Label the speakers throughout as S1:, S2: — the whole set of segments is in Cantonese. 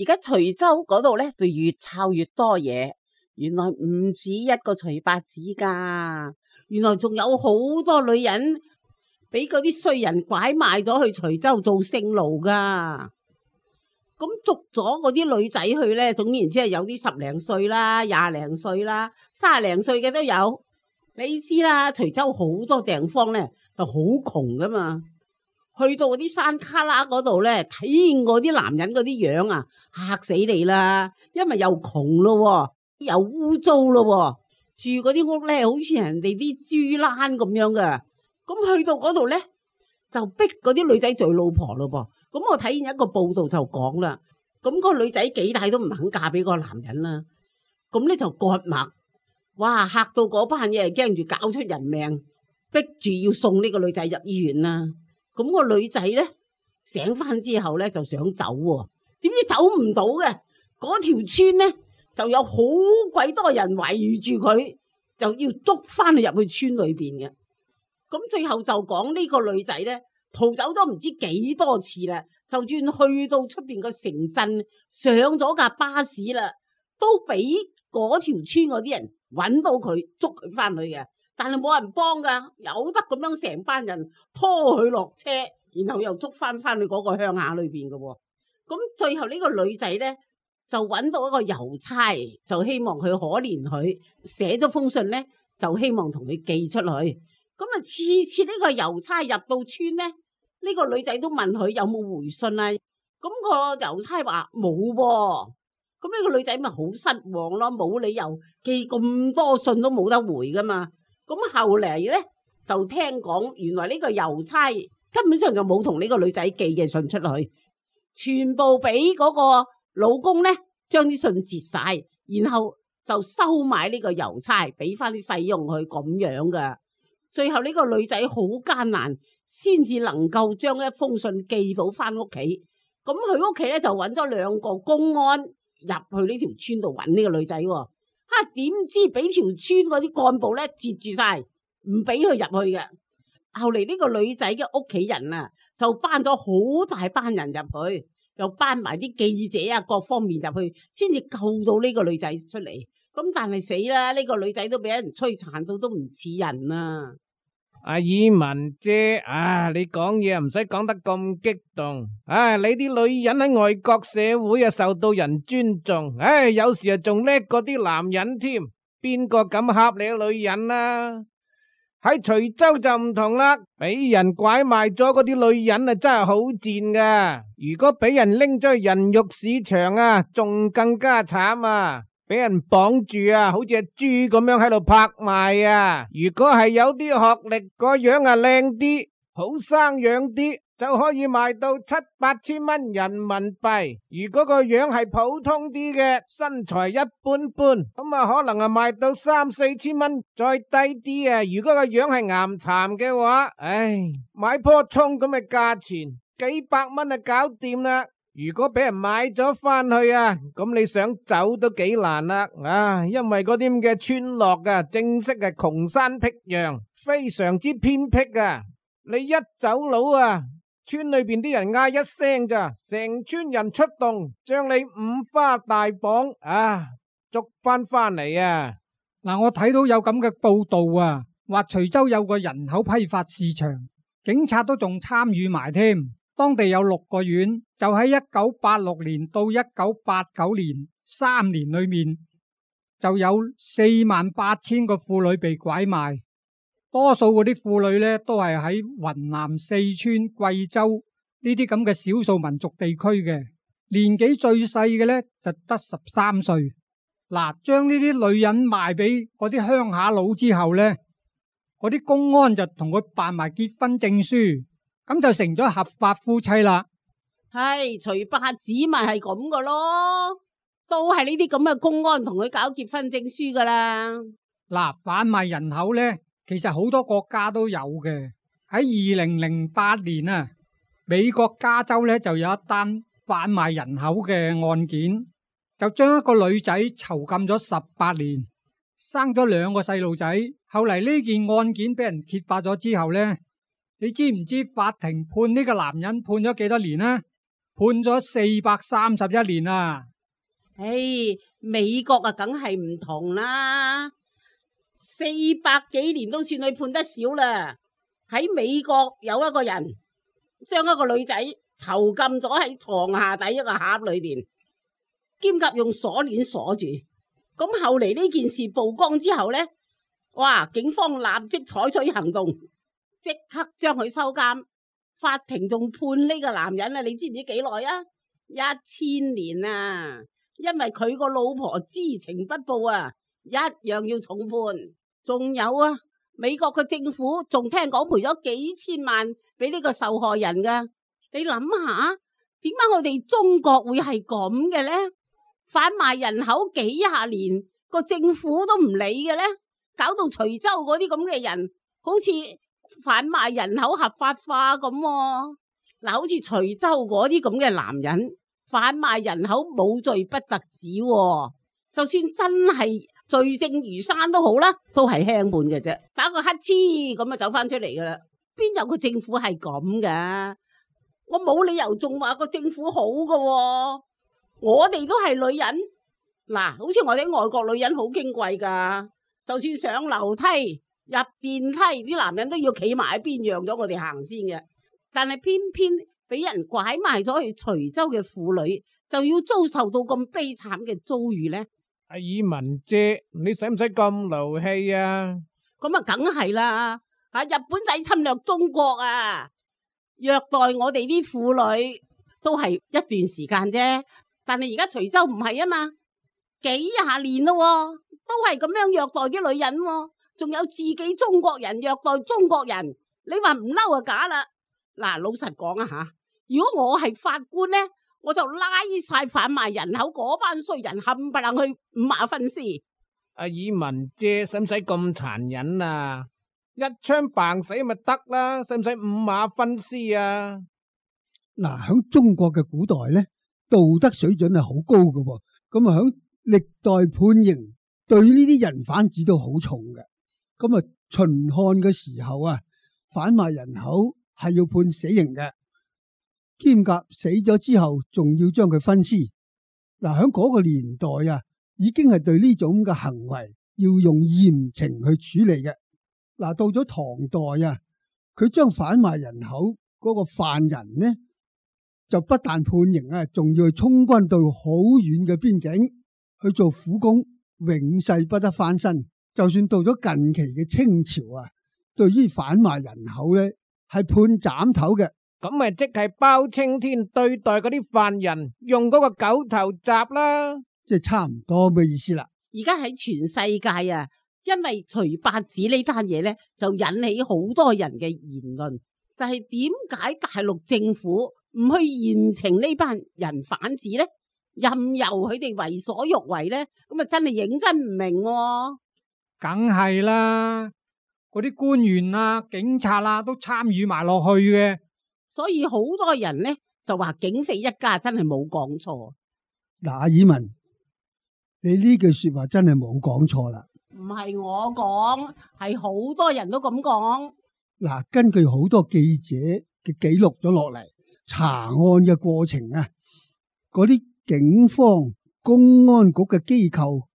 S1: 而家徐州嗰度咧就越抄越多嘢，原來唔止一個徐八子噶，原來仲有好多女人俾嗰啲衰人拐賣咗去徐州做性奴噶。咁捉咗嗰啲女仔去咧，總言之係有啲10零歲啦、20零歲啦、30零歲嘅都有。你知啦，徐州好多地方咧就好窮噶嘛，去到嗰啲山卡拉嗰度咧，睇見嗰啲男人嗰啲樣啊，嚇死你啦！因為又窮咯，又污糟咯，住嗰啲屋咧好似人哋啲豬欄咁樣噶。咁去到嗰度咧，就逼嗰啲女仔做老婆咯噃。咁我睇見一個報道就講啦，咁個女仔幾大都唔肯嫁俾個男人啦，咁咧就割脈，哇，嚇到嗰班嘢驚住搞出人命，逼住要送呢個女仔入醫院啦。咁個女仔咧醒翻之後咧就想走喎，點知走唔到嘅，嗰條村咧就有好鬼多人圍住佢，就要捉翻佢入去村裏邊嘅。咁最後就講呢個女仔咧逃走咗唔知幾多次啦，就算去到出邊個城鎮上咗架巴士啦，都俾嗰條村嗰啲人揾到佢捉佢翻去嘅，但係冇人幫噶，有得咁樣成班人拖佢落車，然後又捉翻去嗰個鄉下裏邊嘅。咁最後呢個女仔咧就揾到一個郵差，就希望佢可憐佢，寫咗封信咧就希望同佢寄出去。咁啊，次次呢個郵差入到村咧，呢個女仔都問佢有冇回信啊。咁個郵差話冇喎。咁呢個女仔咪好失望咯，冇理由寄咁多信都冇得回噶嘛。咁後嚟咧就聽講，原來呢個郵差根本上就冇同呢個女仔寄嘅信出去，全部俾嗰個老公咧將啲信截晒，然後就收買呢個郵差，俾翻啲使用去咁樣噶。最後呢個女仔好艱難，先至能夠將一封信寄到翻屋企。咁佢屋企咧就揾咗2個公安入去呢條村度揾呢個女仔。點知俾條村嗰啲幹部咧截住晒，唔俾佢入去嘅。後嚟呢個女仔嘅屋企人啊，就班咗好大班人入去，又班埋啲記者啊，各方面入去，先至救到呢個女仔出嚟。咁但係死啦，呢個女仔都俾人摧殘到都唔似人啊！
S2: 阿以文姐啊，你講嘢唔使講得咁激動。你啲女人喺外國社會啊受到人尊重，有時啊仲叻過啲男人添。邊個敢恰你女人啊？喺徐州就唔同啦，俾人拐賣咗嗰啲女人啊真係好賤噶。如果俾人拎咗去人肉市場啊，仲更加慘啊！俾人綁住啊，好似係豬咁樣喺度拍賣啊！如果係有啲學歷，個樣啊靚啲，好生養啲，就可以賣到7、8千蚊人民幣。如果個樣係普通啲嘅，身材一般般，咁啊可能啊賣到3、4千蚊，再低啲啊。如果個樣係岩巉嘅話，買棵蔥咁嘅價錢，幾百蚊啊搞掂啦。如果俾人買咗翻去啊，咁你想走都幾難啦。因為嗰啲咁嘅村落啊，正式係窮山僻壤，非常之偏僻啊。你一走佬啊，村裏邊啲人嗌一聲咋，成村人出動，將你五花大綁捉翻嚟啊！
S3: 嗱，我睇到有咁嘅報道啊，話徐州有個人口批發市場，警察都仲參與埋添。當地有6個縣，就喺1986年到1989年3年裏面，就有48,000個婦女被拐賣。多數嗰啲婦女呢，都係喺雲南、四川、貴州呢啲咁嘅少數民族地區嘅，年紀最細嘅呢，就得13歲。嗱，將呢啲女人賣俾嗰啲鄉下佬之後呢，嗰啲公安就同佢辦埋結婚證書。咁就成咗合法夫妻啦。
S1: 徐八子咪係咁噶咯，都係呢啲咁嘅公安同佢搞結婚證書噶啦。
S3: 嗱，販賣人口呢，其實好多國家都有嘅。喺2008年啊，美國加州呢就有一單販賣人口嘅案件，就將一個女仔囚禁咗18年，生咗2個細路仔。後嚟呢件案件俾人揭發咗之後呢，你知唔知法庭判呢個男人判咗幾多年呢？判咗431年啊！
S1: 唉，美國啊，梗係唔同啦，400幾年都算佢判得少啦。喺美國有一個人將一個女仔囚禁咗喺床下底一個盒裏邊，兼夾用鎖鏈鎖住。咁後嚟呢件事曝光之後呢，哇！警方立即採取行動，即刻將佢收監。法庭仲判呢個男人啊，你知唔知幾耐啊？1000年啊！因為佢個老婆知情不報啊，一樣要重判。仲有啊，美國嘅政府仲聽講賠咗幾千萬俾呢個受害人噶。你諗下，點解我哋中國會係咁嘅呢？販賣人口幾廿年，個政府都唔理嘅呢？搞到徐州嗰啲咁嘅人，好似販賣人口合法化咁喎。嗱，好似徐州嗰啲咁嘅男人販賣人口冇罪不特止喎，就算真係罪證如山都好啦，都係輕判嘅啫，打個乞嗤咁就走翻出嚟噶啦。邊有個政府係咁噶？我冇理由仲話個政府好噶喎。我哋都係女人，嗱，好似我哋外國女人好矜貴噶，就算上樓梯入電梯，啲男人都要企埋一邊讓咗我哋行先嘅。但係偏偏俾人拐賣咗去徐州嘅婦女，就要遭受到咁悲慘嘅遭遇呢？
S2: 阿爾文姐，你使唔使咁勞氣啊？
S1: 咁啊，梗係啦！日本仔侵略中國啊，虐待我哋啲婦女都係一段時間啫。但係而家徐州唔係啊嘛，幾廿年咯，都係咁樣虐待啲女人，仲有自己中國人虐待中國人，你話唔嬲啊假啦！嗱，老實講啊吓，如果我係法官呢，我就拉晒販賣人口嗰班衰人冚唪唥去五馬分屍。
S2: 阿爾文姐，使唔使咁殘忍啊？一槍棒死咪得啦，使唔使五馬分屍啊？
S4: 嗱，響中國嘅古代呢，道德水準係好高嘅，咁啊響歷代判刑對呢啲人販子都好重嘅。咁啊秦漢嘅時候啊，販賣人口係要判死刑嘅，兼夾死咗之後仲要將佢分屍。嗱，響嗰個年代啊，已經係對呢種嘅行為要用嚴懲去處理嘅。嗱，到咗唐代啊，佢將販賣人口嗰個犯人呢，就不但判刑啊，仲要去充軍到好遠嘅邊境去做苦工，永世不得翻身。就算到咗近期嘅清朝啊，對於販賣人口呢，係判斬頭嘅。
S2: 咁咪即係包青天對待嗰啲犯人用嗰個狗頭鍘啦，
S4: 即係差唔多嘅意思啦。
S1: 而家喺全世界啊，因為徐八子呢單嘢呢，就引起好多人嘅言論，就係點解大陸政府唔去嚴懲呢班人販子呢？任由佢哋為所欲為呢？咁啊真係認真唔明喎。
S3: 梗係啦，嗰啲官員啊、警察啊都參與埋落去嘅，
S1: 所以好多人呢就話警匪一家真係冇講錯。
S4: 嗱，阿爾文，你呢句說話真係冇講錯啦。
S1: 唔係我講，係好多人都咁講。
S4: 嗱，根據好多記者嘅記錄咗落嚟，查案嘅過程啊，嗰啲警方、公安局嘅機構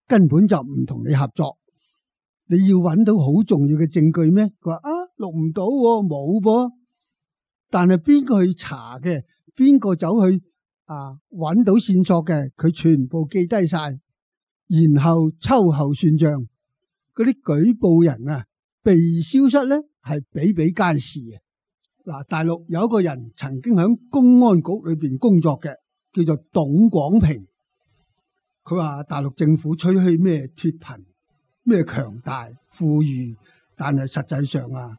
S4: 根本就唔同你合作。你要揾到好重要嘅證據咩？佢話啊，錄唔到喎，冇噃。但係邊個去查嘅，邊個走去揾到線索嘅，佢全部記低晒，然後秋後算賬。嗰啲舉報人啊，被消失咧，係比比皆是嘅。嗱，大陸有一個人曾經喺公安局裏邊工作嘅，叫做董廣平。佢話大陸政府吹噓咩脫貧、咩強大、富裕，但係實際上啊，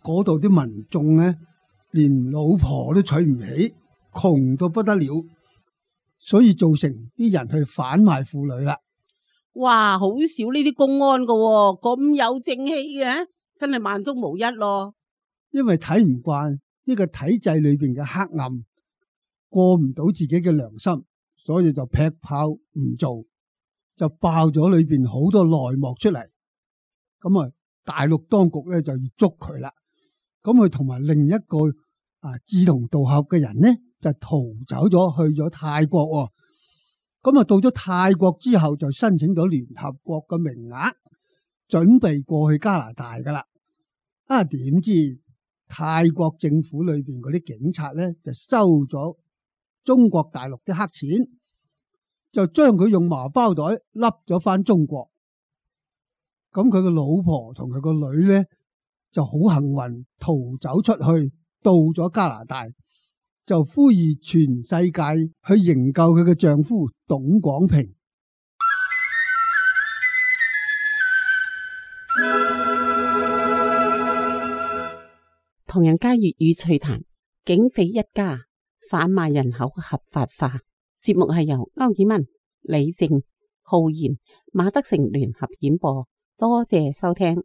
S4: 嗰度啲民眾咧，連老婆都娶唔起，窮到不得了，所以造成啲人去販賣婦女啦。
S1: 哇，好少呢啲公安噶喎，咁有正氣嘅，真係萬中無一咯。
S4: 因為睇唔慣呢個體制裏邊嘅黑暗，過唔到自己嘅良心，所以就劈炮唔做，就爆咗裏邊好多內幕出嚟。咁啊，大陸當局咧就要捉佢啦。咁佢同埋另一個志同道合嘅人呢，就逃走咗去咗泰國喎。咁啊到咗泰國之後就申請咗聯合國嘅名額，準備過去加拿大噶啦。點知泰國政府裏邊嗰啲警察咧就收咗中國大陸啲黑錢，就將佢用麻包袋笠咗翻中國。咁佢個老婆同佢個女咧就好幸運逃走出去，到咗加拿大，就呼籲全世界去營救佢嘅丈夫董廣平。
S1: 唐人街粵語趣談，警匪一家販賣人口合法化。節目係由歐爾文、李靜、浩然、馬德成聯合演播，多謝收聽。